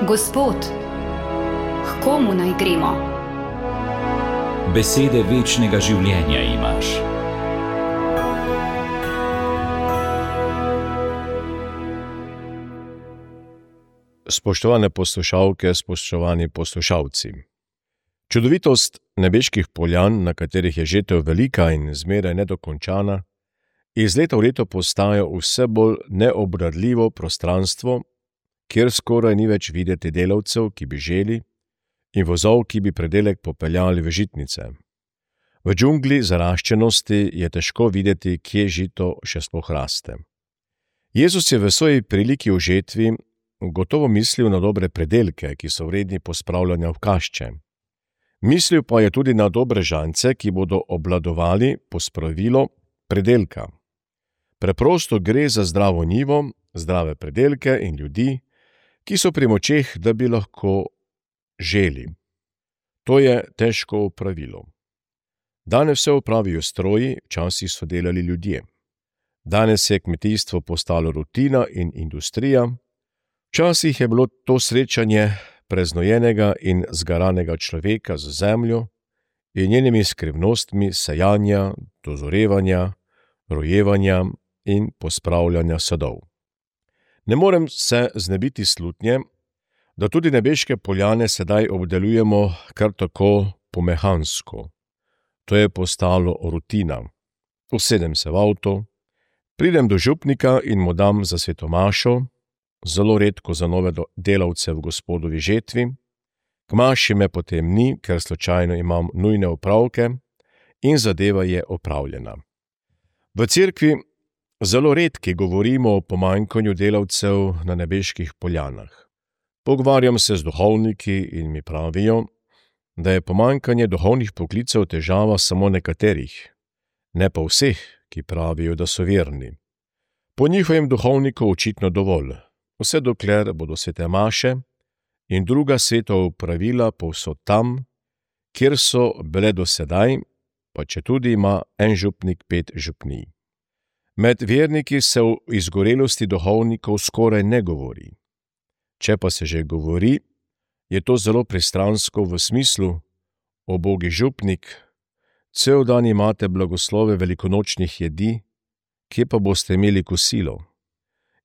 Gospod, k komu naj gremo? Besede večnega življenja imaš. Spoštovane poslušalke, spoštovani poslušalci. Čudovitost nebeških poljan, na katerih je žetev velika in zmeraj nedokončana, iz leta v leto postaja vse bolj neobvladljivo prostranstvo, kjer skoraj ni več videti delavcev, ki bi želi, in vozov, ki bi predelek popeljali v žitnice. V džungli zaraščenosti je težko videti, kje žito še sploh raste. Jezus je v svoji priliki o žetvi gotovo mislil na dobre predelke, ki so vredni pospravljanja v kašče. Mislil pa je tudi na dobre žance, ki bodo obvladovali pospravilo predelka. Preprosto gre za zdravo njivo, zdrave predelke in ljudi, ki so pri močeh, da bi lahko želi. To je težko opravilo. Danes vse opravijo stroji, včasih so delali ljudje. Danes je kmetijstvo postalo rutina in industrija. Včasih je bilo to srečanje preznojenega in zgaranega človeka z zemljo in njenimi skrivnostmi sejanja, dozorevanja, rojevanja in pospravljanja sadov. Ne morem se znebiti slutnje, da tudi nebeške poljane sedaj obdelujemo kar tako pomehansko. To je postalo rutina. Usedem se v avto, pridem do župnika in mu dam za svetomašo, zelo redko za nove delavce v Gospodovi žetvi, k maši me potem ni, ker slučajno imam nujne opravke in zadeva je opravljena. V cerkvi zelo redki govorimo o pomanjkanju delavcev na nebeških poljanah. Pogovarjam se z duhovniki in mi pravijo, da je pomanjkanje duhovnih poklicev težava samo nekaterih, ne pa vseh, ki pravijo, da so verni. Po njihovem duhovniku očitno dovolj, vse dokler bodo svete maše in druga svetova pravila povsod tam, kjer so bile do sedaj, pa četudi ima en župnik 5 župnij. Med verniki se o izgorelosti duhovnikov skoraj ne govori. Če pa se že govori, je to zelo pristransko v smislu: ubogi župnik, cel dan imate blagoslove velikonočnih jedi, kje pa boste imeli kosilo?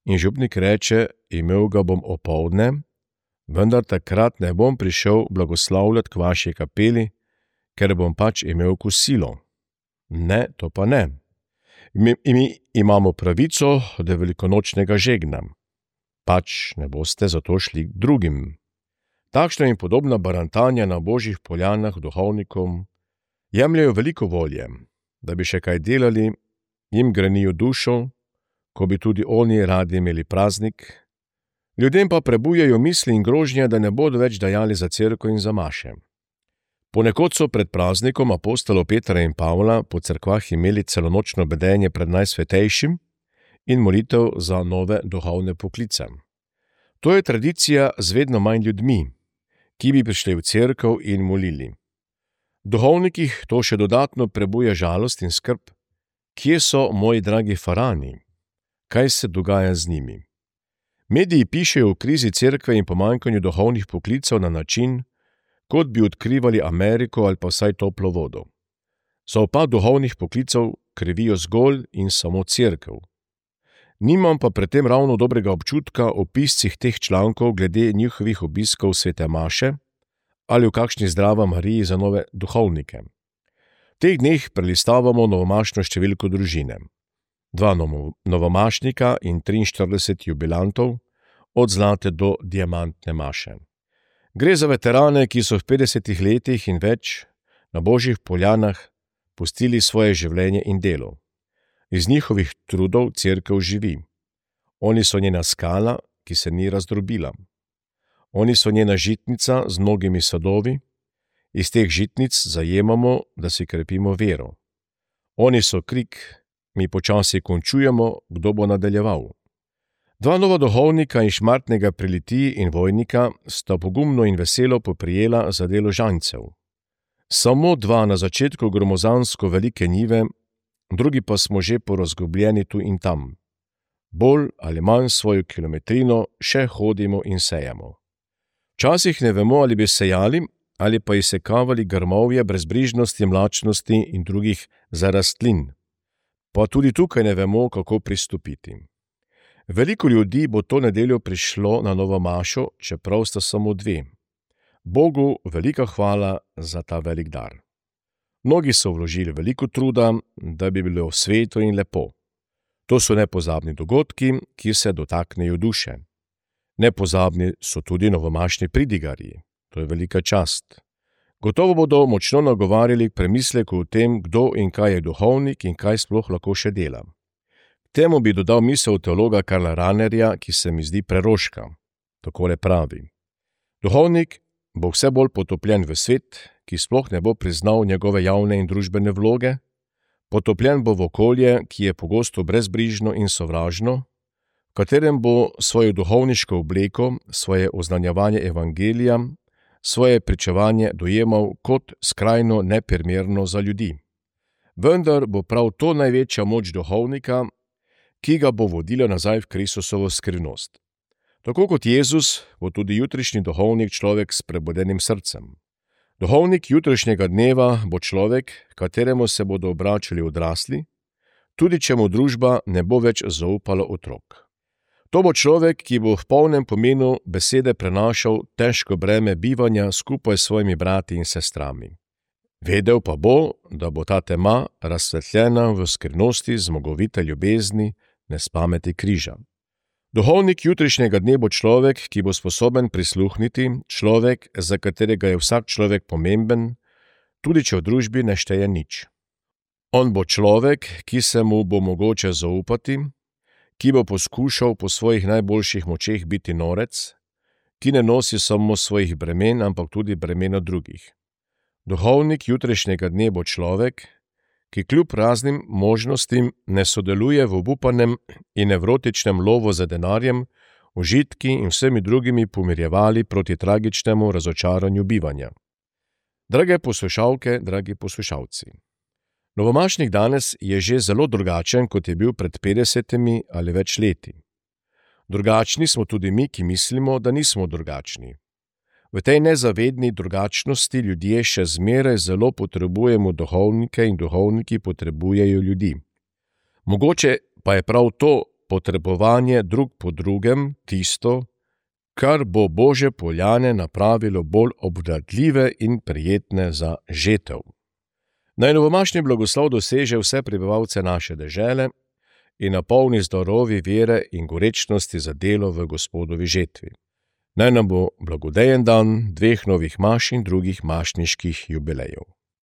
In župnik reče: imel ga bom opoldne, vendar takrat ne bom prišel blagoslavljati k vaši kapeli, ker bom pač imel kosilo. Ne, to pa ne. Mi imamo pravico do velikonočnega žegna. Pač ne boste zato šli k drugim. Takšna in podobna barantanja na božjih poljanah duhovnikom jemljajo veliko volje, da bi še kaj delali, jim grenijo dušo, ko bi tudi oni radi imeli praznik, ljudem pa prebujajo misli in grožnje, da ne bodo več dajali za cerkev in za maše. Ponekod so pred praznikom apostolov Petra in Pavla po cerkvah imeli celonočno bedenje pred Najsvetejšim in molitev za nove duhovne poklice. To je tradicija z vedno manj ljudmi, ki bi prišli v cerkev in molili. Duhovnikih to še dodatno prebuja žalost in skrb. Kje so moji dragi farani? Kaj se dogaja z njimi? Mediji pišejo o krizi cerkve in pomanjkanju duhovnih poklicev na način, kot bi odkrivali Ameriko ali pa vsaj toplo vodo. Za upad duhovnih poklicev krivijo zgolj in samo cerkev. Nimam pa pri tem ravno dobrega občutka o piscih teh člankov glede njihovih obiskov svete maše ali v kakšni zdrava Mariji za nove duhovnike. V teh dneh prelistavamo novomašno številko družine. 2 novomašnika in 43 jubilantov, od zlate do diamantne maše. Gre za veterane, ki so v 50 letih in več na božjih poljanah pustili svoje življenje in delo. Iz njihovih trudov cerkev živi. Oni so njena skala, ki se ni razdrobila. Oni so njena žitnica z mnogimi sadovi. Iz teh žitnic zajemamo, da si krepimo vero. Oni so krik, mi počasi končujemo, kdo bo nadaljeval. 2 nova duhovnika in šmartnega pri Litiji in Vojnika sta pogumno in veselo poprijela za delo žancev. Samo 2 na začetku gromozansko velike njive, drugi pa smo že porazgubljeni tu in tam. Bolj ali manj svojo kilometrino še hodimo in sejemo. Včasih ne vemo, ali bi sejali ali pa izsekavali grmovje brezbrižnosti, mlačnosti in drugih zarastlin. Pa tudi tukaj ne vemo, kako pristopiti. Veliko ljudi bo to nedeljo prišlo na novo mašo, čeprav sta samo 2. Bogu velika hvala za ta velik dar. Mnogi so vložili veliko truda, da bi bilo sveto in lepo. To so nepozabni dogodki, ki se dotaknejo duše. Nepozabni so tudi novomašni pridigarji. To je velika čast. Gotovo bodo močno nagovarjali k premisleku o tem, kdo in kaj je duhovnik in kaj sploh lahko še dela. Temu bi dodal misel teologa Karla Rahnerja, ki se mi zdi preroška. Takole pravi: duhovnik bo vse bolj potopljen v svet, ki sploh ne bo priznal njegove javne in družbene vloge, potopljen bo v okolje, ki je pogosto brezbrižno in sovražno, v katerem bo svojo duhovniško obleko, svoje oznanjevanje evangelija, svoje pričevanje dojemal kot skrajno neprimerno za ljudi. Vendar bo prav to največja moč duhovnika, ki ga bo vodila nazaj v Kristusovo skrivnost. Tako kot Jezus bo tudi jutrišnji duhovnik človek s prebudenim srcem. Duhovnik jutrišnjega dneva bo človek, kateremu se bodo obračali odrasli, tudi če mu družba ne bo več zaupala otrok. To bo človek, ki bo v polnem pomenu besede prenašal težko breme bivanja skupaj s svojimi brati in sestrami. Vedel pa bo, da bo ta tema razsvetljena v skrivnosti zmogovite ljubezni, nespameti križa. Duhovnik jutrišnjega dne bo človek, ki bo sposoben prisluhniti, človek, za katerega je vsak človek pomemben, tudi če v družbi ne šteje nič. On bo človek, ki se mu bo mogoče zaupati, ki bo poskušal po svojih najboljših močeh biti norec, ki ne nosi samo svojih bremen, ampak tudi bremena drugih. Duhovnik jutrišnjega dne bo človek, ki kljub raznim možnostim ne sodeluje v obupanem in nevrotičnem lovu za denarjem, užitki in vsemi drugimi pomirjevali proti tragičnemu razočaranju bivanja. Drage poslušalke, dragi poslušalci, novomašnik danes je že zelo drugačen, kot je bil pred 50 ali več leti. Drugačni smo tudi mi, ki mislimo, da nismo drugačni. V tej nezavedni drugačnosti ljudje še zmeraj zelo potrebujemo duhovnike in duhovniki potrebujejo ljudi. Mogoče pa je prav to potrebovanje drug po drugem tisto, kar bo Božje poljane napravilo bolj obvladljive in prijetne za žetev. Naj novomašni blagoslov doseže vse prebivalce naše dežele in napolni z darovi vere in gorečnosti za delo v Gospodovi žetvi. Naj nam bo blagodejen dan 2 novih maš in drugih mašniških jubilejev.